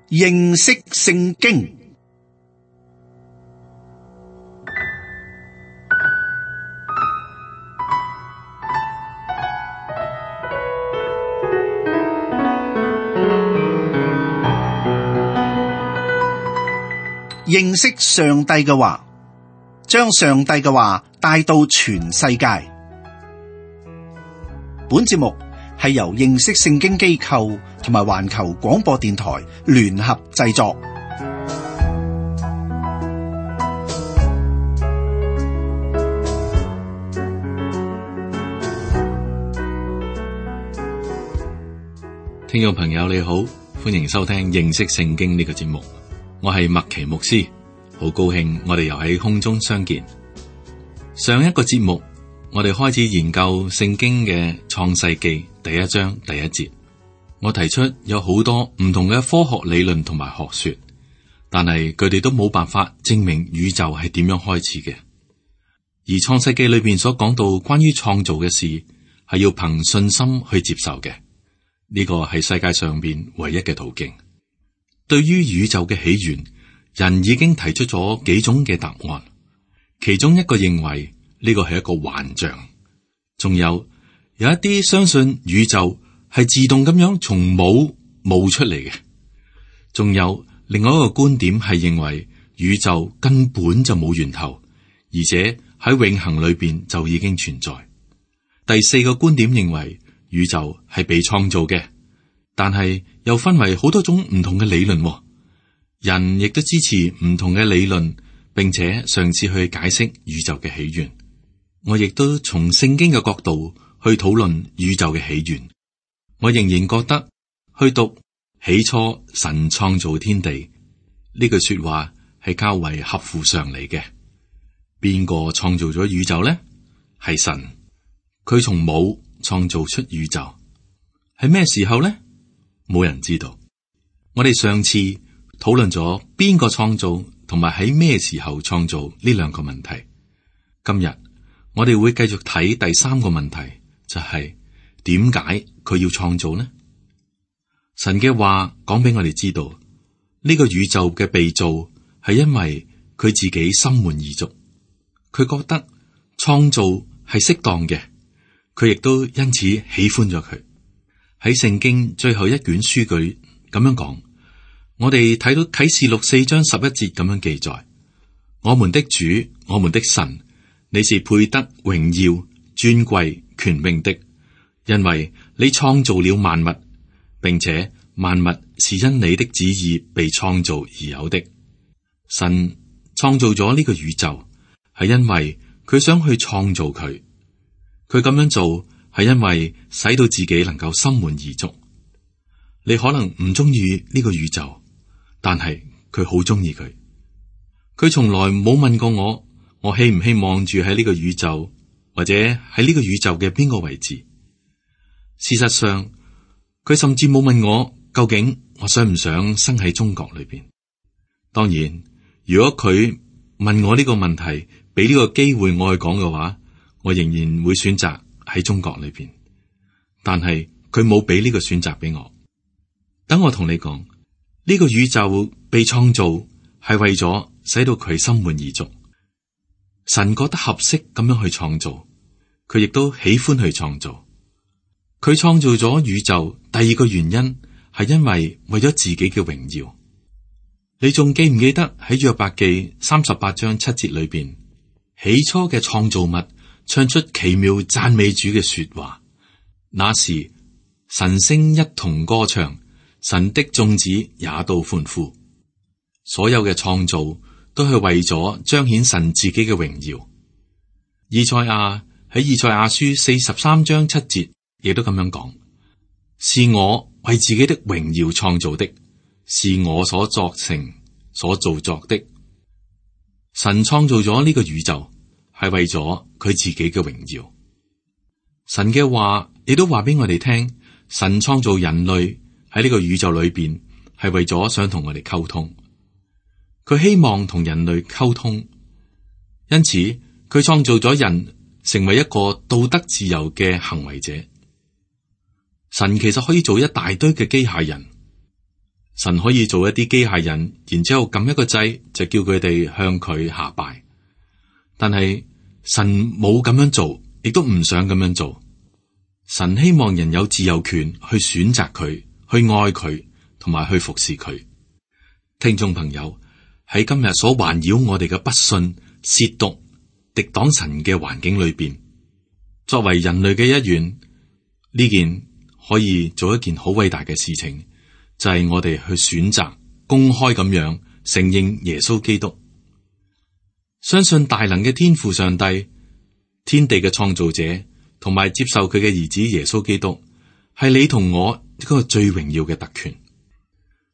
認識聖經。認識上帝嘅話，將上帝嘅話帶到全世界。本節目係由認識聖經機構同埋環球廣播電台聯合製作。聽眾朋友你好，歡迎收聽認識聖經呢個節目。我係麥奇牧師，好高興我哋又喺空中相見。上一個節目我哋開始研究聖經嘅創世記第一章第一節，我提出有好多唔同嘅科學理論同埋學說，但係佢哋都冇辦法證明宇宙係點樣開始嘅。而創世記裏邊所講到關於創造嘅事，係要憑信心去接受嘅，呢個係世界上邊唯一嘅途徑。對於宇宙嘅起源，人已經提出咗幾種嘅答案，其中一個認為呢個係一個幻象，仲有一啲相信宇宙係自動咁樣從冇冒出嚟嘅，仲有另外一個觀點係認為宇宙根本就冇源頭，而且喺永恆裏邊就已經存在。第四個觀點認為宇宙係被創造嘅，但係又分為好多種唔同嘅理論，人亦都支持唔同嘅理論，並且嘗試去解釋宇宙嘅起源。我亦都從聖經嘅角度去討論宇宙嘅起源。我仍然覺得去讀起初神創造天地呢句說話係較為合乎常理嘅。邊個創造咗宇宙呢？係神，佢從冇創造出宇宙。係咩時候呢？冇人知道。我哋上次討論咗邊個創造同埋喺咩時候創造呢兩個問題。今日我哋會繼續睇第三個問題，就係點解佢要創造呢？神嘅話講俾我哋知道，呢個宇宙嘅被造係因為佢自己心滿意足，佢覺得創造係適當嘅，佢亦都因此喜歡咗佢。喺聖經最後一卷書句咁樣講，我哋睇到啟示錄4章11節咁樣記載：我們的主，我們的神，你是配得榮耀、尊貴、權柄的，因為你創造了萬物，並且萬物是因你的旨意被創造而有的。神創造咗呢個宇宙，係因為佢想去創造佢。佢咁樣做係因為使到自己能夠心滿意足。你可能唔中意呢個宇宙，但係佢好中意佢。佢從來冇問過我希唔希望住喺呢個宇宙，或者喺呢個宇宙嘅邊個位置。事實上，佢甚至冇問我究竟我想唔想生喺中國裏邊。當然，如果佢問我呢個問題，俾呢個機會我去講嘅話，我仍然會選擇喺中國裏邊。但係佢冇俾呢個選擇俾我。等我同你講，呢個宇宙被創造係為咗使到佢心滿意足。神覺得合適咁樣去創造，佢亦都喜歡去創造。佢創造咗宇宙，第二個原因係因為為咗自己嘅榮耀。你仲記唔記得喺約伯記38章7節裏邊，起初嘅創造物唱出奇妙讚美主嘅說話，那時神星一同歌唱，神的眾子也都歡呼。所有嘅創造都係為咗彰顯神自己嘅榮耀。以賽亞喺以賽亞書43章7節亦都咁樣講：是我為自己的榮耀創造的，是我所作成所造作的。神創造咗呢個宇宙係為咗佢自己嘅榮耀。神嘅話亦都話俾我哋聽，神創造人類喺呢個宇宙裏邊係為咗想同我哋溝通。佢希望同人類溝通，因此佢創造咗人成為一個道德自由嘅行為者。神其實可以做一大堆嘅機械人，神可以做一啲機械人，然之後撳一個掣就叫佢哋向佢下拜。但係神冇咁樣做，亦都唔想咁樣做。神希望人有自由權去選擇佢，去愛佢，同埋去服侍佢。聽眾朋友，喺今日所環繞我哋嘅不信、褻瀆、敵擋神嘅環境裏邊，作為人類嘅一員，呢件可以做一件好偉大嘅事情，就係我哋去選擇公開咁樣承認耶穌基督，相信大能嘅天父上帝，天地嘅創造者，同埋接受佢嘅兒子耶穌基督，係你同我一個最榮耀嘅特權。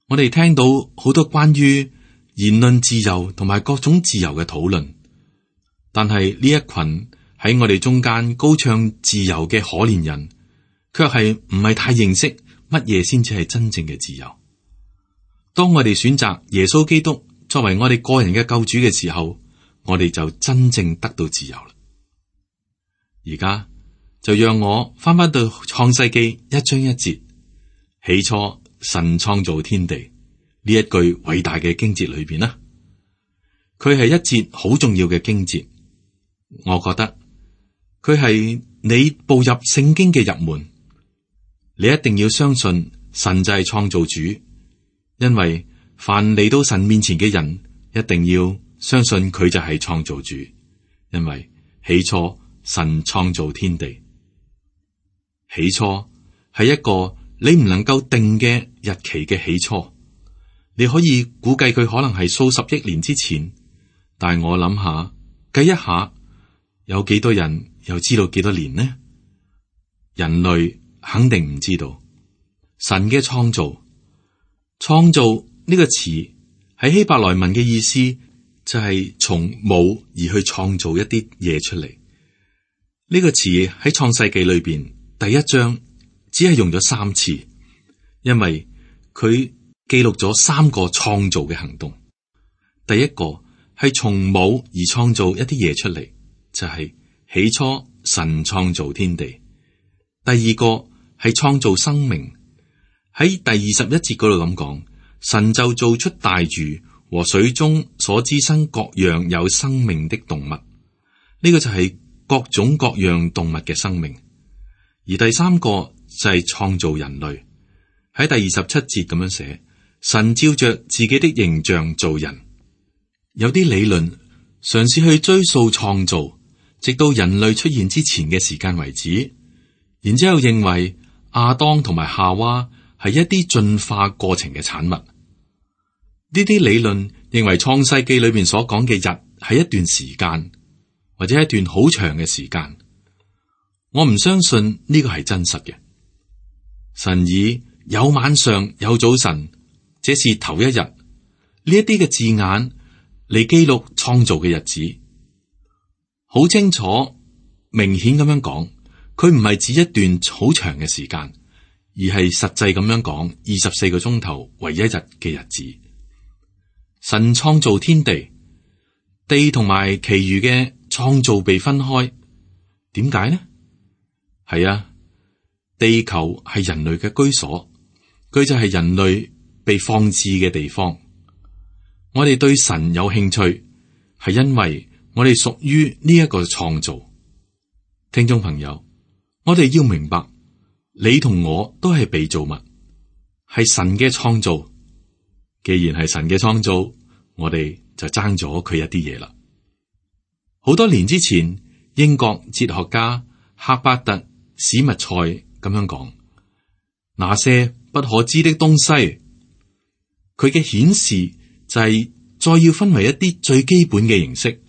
我哋聽到好多關於言論自由同埋各種自由嘅討論，但係呢一群喺我哋中間高唱自由嘅可憐人，卻係唔係太認識乜嘢先至係真正嘅自由。當我哋選擇耶穌基督作為我哋個人嘅救主嘅時候，我哋就真正得到自由啦。而家就讓我翻返到創世記1章1節，起初神創造天地呢一句偉大嘅經節裏邊啦，佢係一節好重要嘅經節。我覺得佢係你步入聖經嘅入門，你一定要相信神就係創造主，因為凡嚟到神面前嘅人，一定要相信佢就係創造主，因為起初神創造天地。起初係一個你唔能夠定嘅日期嘅起初，你可以估計佢可能係數十億年之前，但係我諗下計一下，有幾多人又知道幾多年呢？人類肯定唔知道。神嘅創造呢個詞喺希伯來文嘅意思就係從冇而去創造一啲嘢出嚟。呢個詞喺創世記裏邊第1章只係用咗3次，因為佢記錄咗3個創造嘅行動。第一個係從冇而創造一啲嘢出嚟，就係起初神創造天地。第二個係創造生命，喺第21節嗰度咁講，神就造出大魚和水中所滋生各樣有生命的動物。呢個就係各種各樣動物嘅生命。而第3個就係創造人類，喺第27節咁樣寫，神照着自己的形象造人。有啲理論嘗試去追溯創造，直到人類出現之前嘅時間為止，然之後認為亞當同埋夏娃係一啲進化過程嘅產物。呢啲理論認為創世記裏面所講嘅日係一段時間，或者一段好長嘅時間。我唔相信呢個係真實嘅。神以有晚上有早晨，這是頭一日，呢一啲嘅字眼嚟記錄創造嘅日子，好清楚明顯咁樣講，佢唔係指一段好長嘅時間，而係實際咁樣講24個鐘頭為一日嘅日子。神創造天地，地同埋其餘嘅創造被分開，點解呢？係啊，地球係人類嘅居所，佢就係人類被放置嘅地方。我哋對神有興趣，係因為我哋屬於呢一個創造。聽眾朋友，我哋要明白，你同我都係被造物，係神嘅創造。既然係神嘅創造，我哋就爭咗佢一啲嘢啦。好多年之前，英國哲學家赫伯特史密塞咁樣講，那些不可知的東西，佢嘅顯示就係再要分為一啲最基本嘅形式，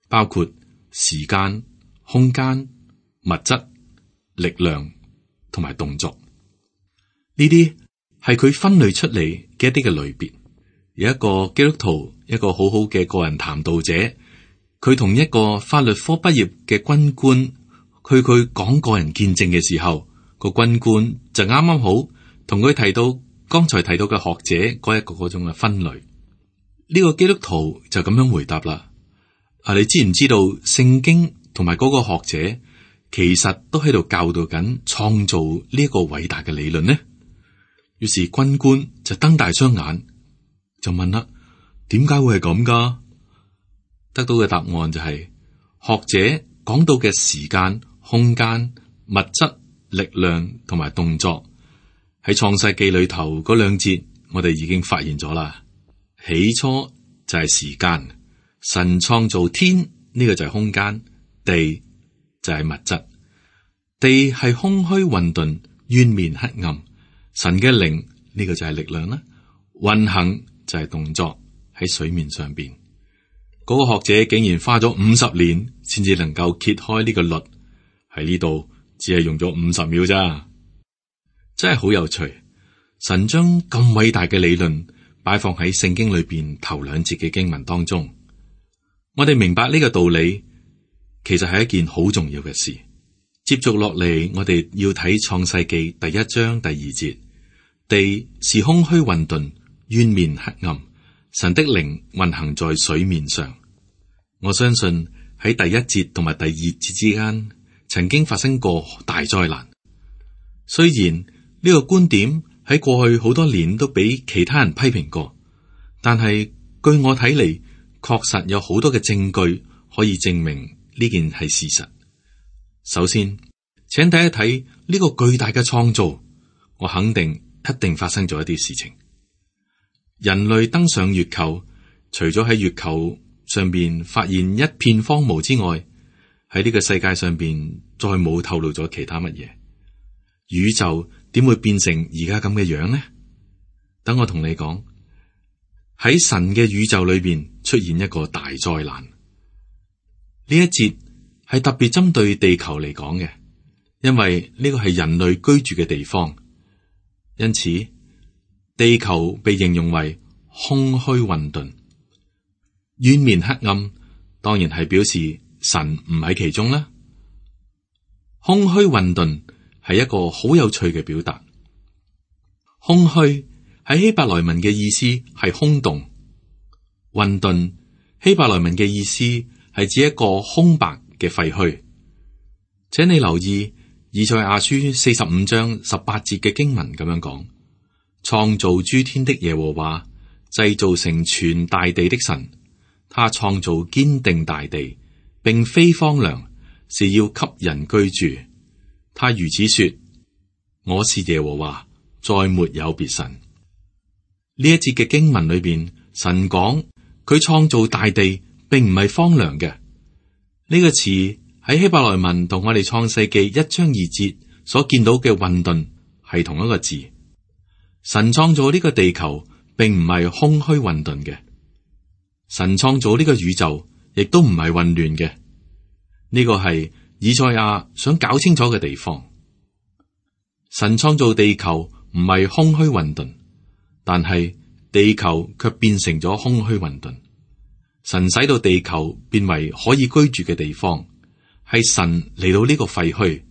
包括時間、空間、物質、力量同埋動作。呢啲係佢分類出嚟嘅一啲嘅類別。有一個基督徒，一個好好嘅個人談道者，佢同一個法律科畢業嘅軍官，佢講個人見證嘅時候，個軍官就啱啱好同佢提到剛才提到嘅學者嗰一個嗰種嘅分類。呢個基督徒就咁樣回答啦：你知唔知道聖經同埋嗰個學者其實都喺度教導緊創造呢一個偉大嘅理論呢？於是軍官就瞪大雙眼，就問啦：點解會係咁噶？得到嘅答案就係、學者講到嘅時間、空間、物質、力量同埋動作，喺創世記裏頭嗰兩節，我哋已經發現咗啦。起初就係時間，神創造天，呢個就係空間，地就係物質。地係空虛混沌、淵面黑暗，神嘅靈呢個就係力量啦。運行就係動作喺水面上邊。嗰個學者竟然花咗50年先至能夠揭開呢個律，喺呢度只係用咗50秒咋，真係好有趣。神將咁偉大嘅理論擺放喺聖經裏邊頭2節嘅經文當中，我哋明白呢個道理，其實係一件好重要嘅事。接續落嚟，我哋要睇創世記第1章第2節，地是空虛混沌，淵面黑暗，神的靈運行在水面上。我相信喺第1節同埋第2節之間，曾經發生過大災難。雖然呢個觀點喺過去好多年都俾其他人批評過，但係據我睇嚟，確實有好多嘅證據可以證明呢件係事實。首先，請睇一睇呢個巨大嘅創造，我肯定一定發生咗一啲事情。人類登上月球，除咗喺月球上邊發現一片荒蕪之外，喺呢個世界上邊再冇透露咗其他乜嘢。宇宙點會變成而家咁嘅樣呢？等我同你講，喺神嘅宇宙裏邊出現一個大災難。呢一節係特別針對地球嚟講嘅，因為呢個係人類居住嘅地方，因此地球被形容為空虛混沌、淵面黑暗，當然係表示神唔喺其中啦。空虛混沌係一個好有趣嘅表達。空虛喺希伯來文嘅意思係空洞，混沌希伯來文嘅意思係指一個空白嘅廢墟。請你留意以賽亞書45章18節嘅經文咁樣講：創造諸天的耶和華，製造成全大地的神，他創造堅定大地，並非荒涼，是要給人居住。他如此說：我是耶和華，再沒有別神。呢一節嘅經文裏邊，神講佢創造大地，並唔係荒涼嘅。呢個詞喺希伯來文同我哋創世記1章2節所見到嘅混沌係同一個字。神創造呢個地球，並唔係空虛混沌嘅。神創造呢個宇宙，亦都唔係混亂嘅。呢個係以賽亞想搞清楚嘅地方。神創造地球唔係空虛混沌，但係地球卻變成咗空虛混沌。神使到地球變為可以居住嘅地方，係神嚟到呢個廢墟，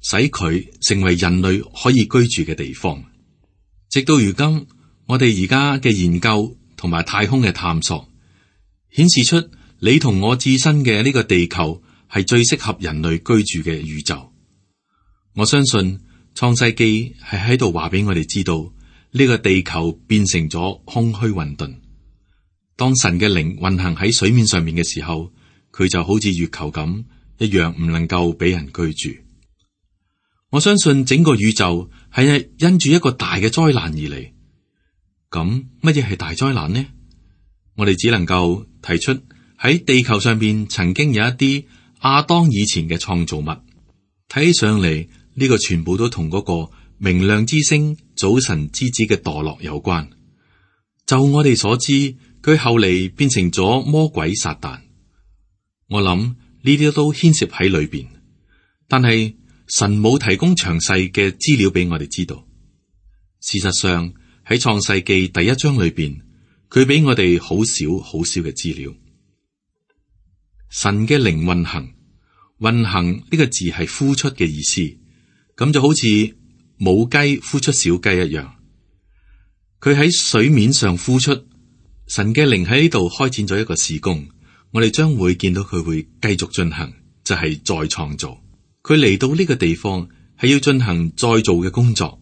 使佢成為人類可以居住嘅地方。直到如今，我哋而家嘅研究同埋太空嘅探索，顯示出你同我自身嘅呢個地球係最適合人類居住嘅宇宙。我相信創世記係喺度話俾我哋知道，呢個地球變成咗空虛混沌。當神嘅靈運行喺水面上面嘅時候，佢就好似月球咁一樣，唔能夠俾人居住。我相信整個宇宙係因住一個大嘅災難而嚟。咁乜嘢係大災難呢？我哋只能夠提出喺地球上邊曾經有一啲亞當以前嘅創造物，睇起上嚟呢個全部都同嗰個明亮之星早晨之子嘅墮落有關。就我哋所知，佢後嚟變成咗魔鬼撒旦。我諗呢啲都牽涉喺裏邊，但係神冇提供詳細嘅資料俾我哋知道。事實上喺創世記第1章裏邊，佢俾我哋好少好少嘅資料。神嘅靈運行，運行呢個字係呼出嘅意思，咁就好似母雞孵出小雞一樣。佢喺水面上呼出，神嘅靈喺呢度開展咗一個事工，我哋將會見到佢會繼續進行，就係再創造。佢嚟到呢個地方係要進行再造嘅工作，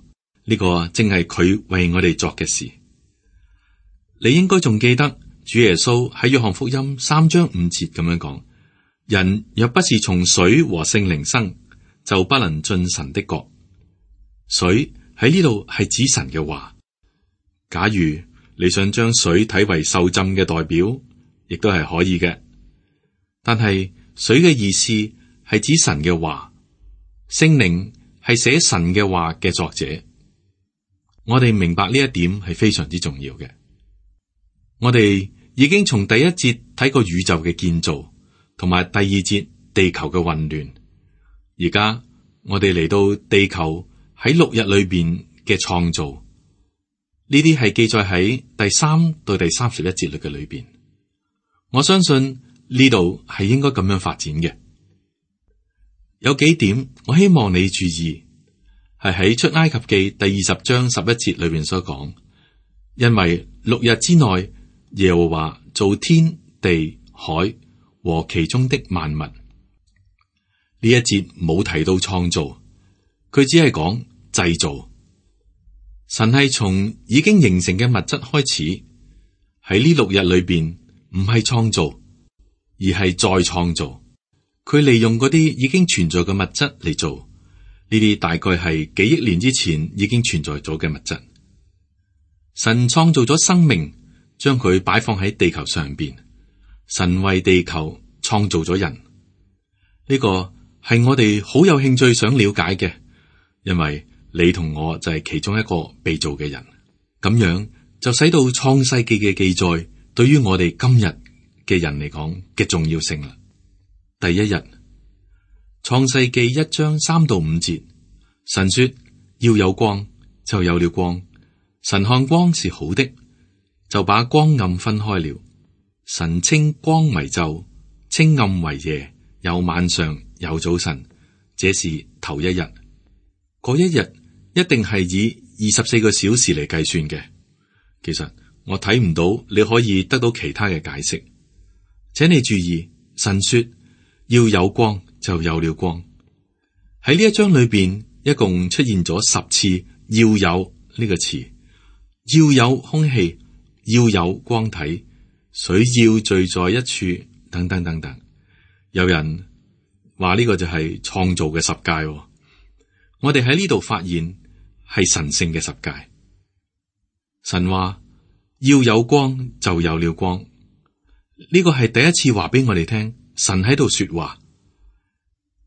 呢個正係佢為我哋作嘅事。你應該仲記得主耶穌喺約翰福音3章5節咁樣講：人若不是從水和聖靈生，就不能進神的國。水喺呢度係指神嘅話。假如你想將水睇為受浸嘅代表，亦都係可以嘅。但係水嘅意思係指神嘅話，聖靈係寫神嘅話嘅作者。我哋明白呢一點係非常之重要嘅。我哋已經從第一節睇過宇宙嘅建造，同埋第二節地球嘅混亂。而家我哋嚟到地球喺6日裏邊嘅創造，呢啲係記載喺第3到第31節嘅裏邊。我相信呢度係應該咁樣發展嘅。有幾點我希望你注意，係喺出埃及記第20章11節裏邊所講，因為6日之內耶和華造天地海和其中的萬物。呢一節冇提到創造，佢只係講製造。神係從已經形成嘅物質開始，喺呢6日裏邊唔係創造，而係再創造。佢利用嗰啲已經存在嘅物質嚟做，呢啲大概係幾億年之前已經存在咗嘅物質。神創造咗生命，將佢擺放喺地球上邊。神為地球創造咗人，呢個係我哋好有興趣想了解嘅，因為你同我就係其中一個被造嘅人。咁樣就使到創世記嘅記載對於我哋今日嘅人嚟講嘅重要性啦。第一日，創世記1章3到5節，神說要有光，就有了光。神看光是好的，就把光暗分開了。神稱光為晝，稱暗為夜，有晚上，有早晨，這是頭一日。嗰一日一定係以24個小時嚟計算嘅。其實我睇唔到你可以得到其他嘅解釋。請你注意，神說要有光，就有了光。喺呢一章裏邊，一共出現咗10次要有呢個詞，要有空氣，要有光體，水要聚在一處，等等等等。有人話呢個就係創造嘅十誡。我哋喺呢度發現係神聖嘅十誡。神話要有光，就有了光。呢個係第一次話俾我哋聽，神喺度說話。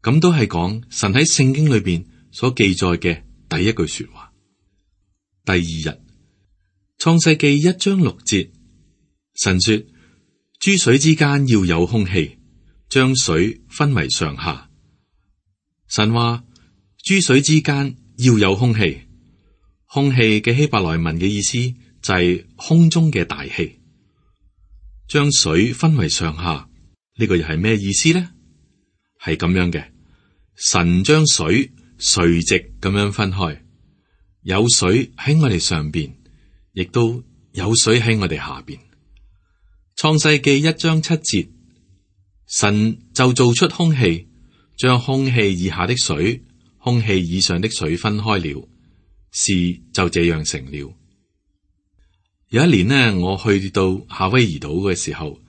咁都係講神喺聖經裏邊所記載嘅第一句說話。第二日，創世記1章6節，神說諸水之間要有空氣，將水分為上下。神話諸水之間要有空氣，空氣嘅希伯來文嘅意思就係空中嘅大氣。將水分為上下，呢個又係咩意思呢？係咁樣嘅，神將水垂直咁樣分開，有水喺我哋上邊，亦都有水喺我哋下邊。創世記1章7節，神就造出空氣，將空氣以下的水、空氣以上的水分開了，事就這樣成了。有一年呢，我去到夏威夷島嘅時候，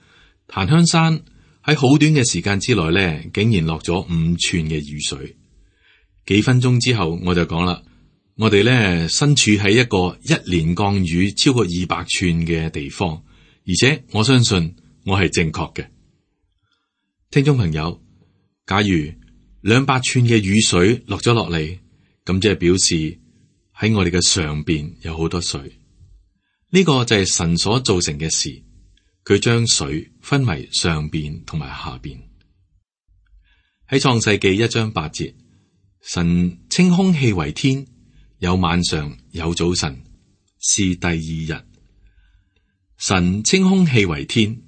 檀香山喺好短嘅時間之內呢，竟然落咗5寸嘅雨水。幾分鐘之後，我就講啦，我哋呢身處喺一個1年降雨超過200寸嘅地方，而且我相信我係正確嘅。聽眾朋友，假如200寸嘅雨水落咗落嚟，咁即係表示喺我哋嘅上邊有好多水。呢個就係神所造成嘅事，佢將水分為上邊同埋下邊。喺創世記1章8節，神稱空氣為天，有晚上，有早晨，是第二日。神稱空氣為天，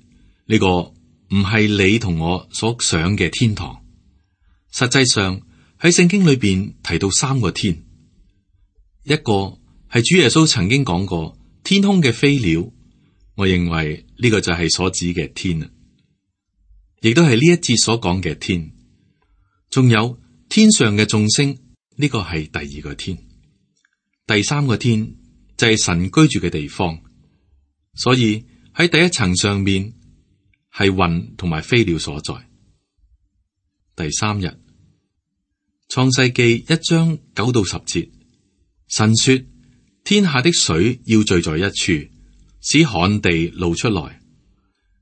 呢個唔係你同我所想嘅天堂。實際上喺聖經裏邊提到3個天，一個係主耶穌曾經講過天空嘅飛鳥，我認為呢個就係所指嘅天啦，亦都係呢一節所講嘅天。仲有天上嘅眾星，呢個係第2個天。第三個天就係神居住嘅地方，所以喺第一層上面係雲同埋飛鳥所在。第三日，創世記1章9到10節，神說：天下的水要聚在一處，使旱地露出來，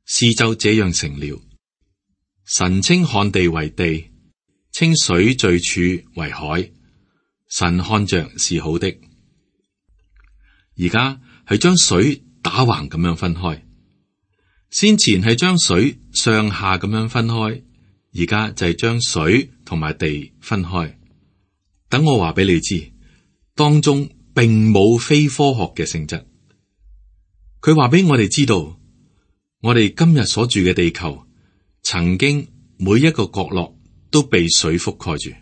事就這樣成了。神稱旱地為地，稱水聚處為海。神看着是好的。而家係將水打橫咁樣分開，先前係將水上下咁樣分開，而家就係將水同埋地分開。等我話俾你知，當中並冇非科學嘅性質。佢話俾我哋知道，我哋今日所住嘅地球，曾經每一個角落都被水覆蓋住。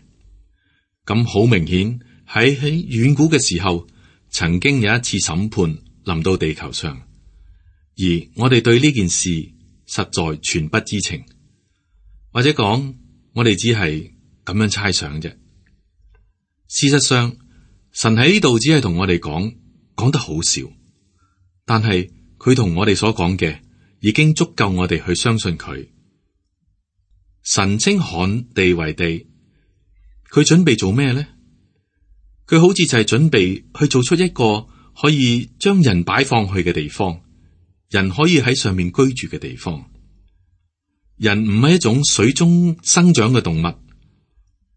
咁好明顯喺遠古嘅時候，曾經有一次審判臨到地球上，而我哋對呢件事實在全不知情，或者講我哋只係咁樣猜想啫。事實上，神喺呢度只係同我哋講得好少，但係佢同我哋所講嘅已經足夠我哋去相信佢。神稱旱地為地，佢準備做咩呢？佢好似就係準備去做出一個可以將人擺放去嘅地方，人可以喺上面居住嘅地方。人唔係一種水中生長嘅動物，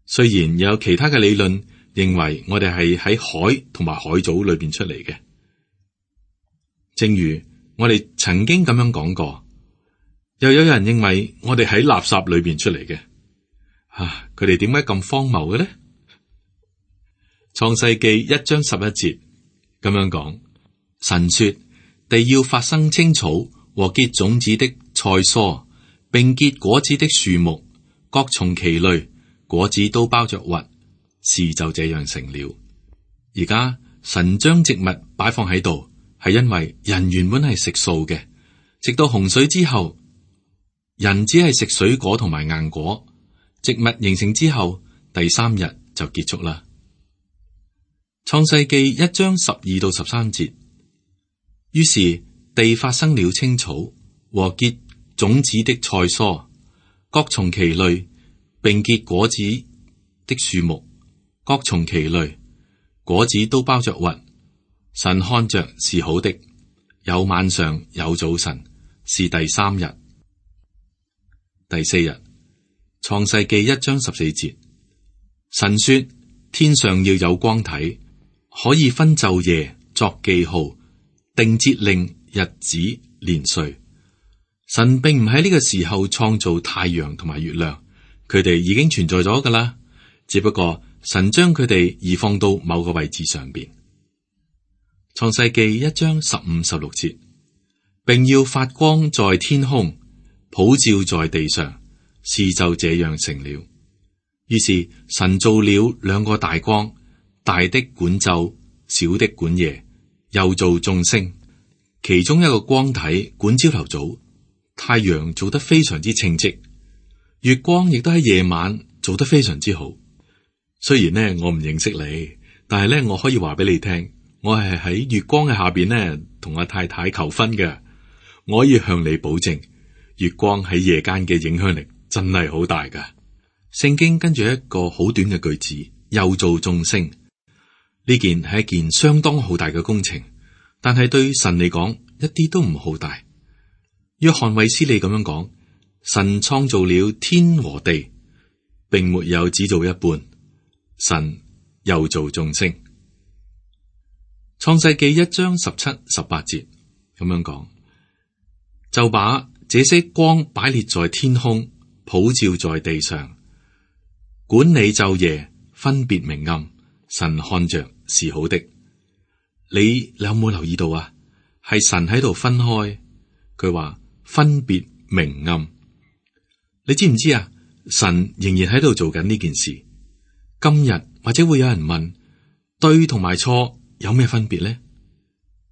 雖然有其他嘅理論認為我哋係喺海同埋海藻裏邊出嚟嘅。正如我哋曾經咁樣講過，又有人認為我哋喺垃圾裏邊出嚟嘅。佢哋點解咁荒謬嘅呢？創世記1章11節咁樣講，神說：地要發生青草和結種子的菜蔬，並結果子的樹木，各從其類，果子都包着核，事就這樣成了。而家神將植物擺放喺度，係因為人原本係食素嘅，直到洪水之後，人只係食水果同埋硬果，植物形成之後，第3日就結束啦。創世記1章12到13節，於是地發生了青草和結種子的菜蔬，各從其類，並結果子的樹木，各從其類，果子都包着核。神看着是好的，有晚上有早晨，是第3日。第4日，創世記1章14節，神說：天上要有光體，可以分晝夜，作記號，定節令、日子、年歲。神並唔喺呢個時候創造太陽同埋月亮，佢哋已經存在咗噶啦，只不過神將佢哋移放到某個位置上邊。創世記1章15、16節，並要發光在天空，普照在地上，事就這樣成了。於是神造了2個大光，大的管晝，小的管夜，又造眾星。其中一個光體管朝頭早，太陽做得非常之稱職，月光亦都喺夜晚做得非常之好。雖然呢，我唔認識你，但係呢，我可以話俾你聽，我係喺月光嘅下邊呢同阿太太求婚嘅。我可以向你保證，月光喺夜間嘅影響力真係好大噶。聖經跟住一個好短嘅句子，又造眾星。呢件係一件相當浩大嘅工程，但係對神嚟講一啲都唔浩大。約翰衛斯理咁樣講：神創造了天和地，並沒有只做一半，神又造眾星。創世記1章17、18節咁樣講，就把這些光擺列在天空，普照在地上，管理晝夜，分別明暗。神看着是好的。你有冇留意到啊？係神喺度分開，佢話分別明暗。你知唔知啊？神仍然喺度做緊呢件事。今日或者會有人問，對同埋錯有咩分別呢？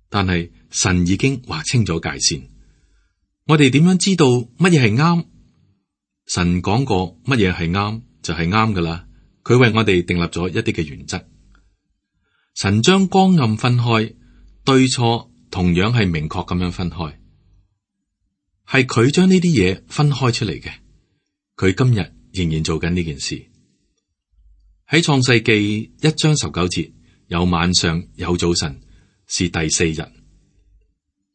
但係神已經劃清咗界線。我哋點樣知道乜嘢係啱？神講過乜嘢係啱就係啱噶啦。佢為我哋訂立咗一啲嘅原則。神將光暗分開，對錯同樣係明確咁樣分開，係佢將呢啲嘢分開出嚟嘅。佢今日仍然做緊呢件事。喺創世記1章19節，有晚上有早晨，是第4日。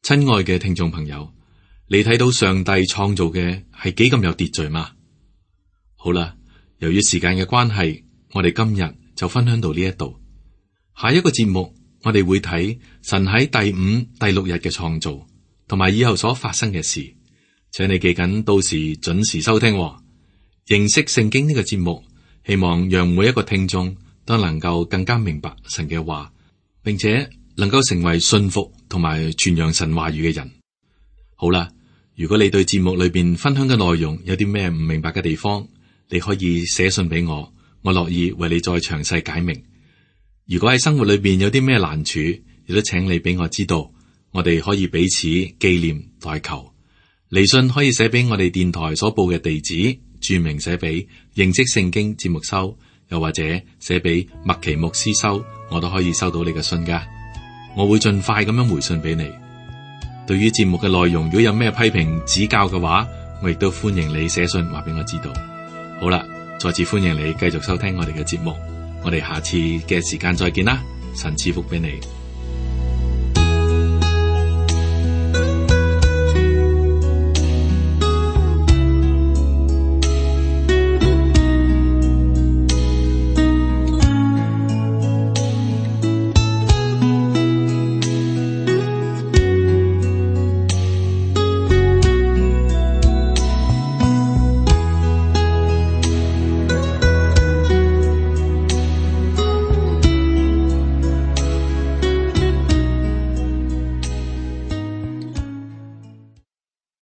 親愛嘅聽眾朋友，你睇到上帝創造嘅係幾咁有秩序嗎？好啦，由於時間嘅關係，我哋今日就分享到呢一度。下一個節目，我哋會睇神喺第5、第6日嘅創造，同埋以後所發生嘅事。請你記緊，到時準時收聽喎。認識聖經呢個節目，希望讓每一個聽眾都能夠更加明白神嘅話，並且能夠成為信服同埋傳揚神話語嘅人。好啦，如果你對節目裏邊分享嘅內容有啲咩唔明白嘅地方，你可以寫信俾我，我樂意為你再詳細解明。如果喺生活裏邊有啲咩難處，亦都請你俾我知道，我哋可以彼此紀念代求。嚟信可以寫俾我哋電台所報嘅地址，注明寫俾認識聖經節目收，又或者寫俾麥奇牧師收，我都可以收到你嘅信噶。我會盡快咁樣回信俾你。對於節目嘅內容，如果有咩批評指教嘅話，我亦都歡迎你寫信話俾我知道。好啦，再次歡迎你繼續收聽我哋嘅節目。我哋下次嘅時間再見啦，神賜福俾你。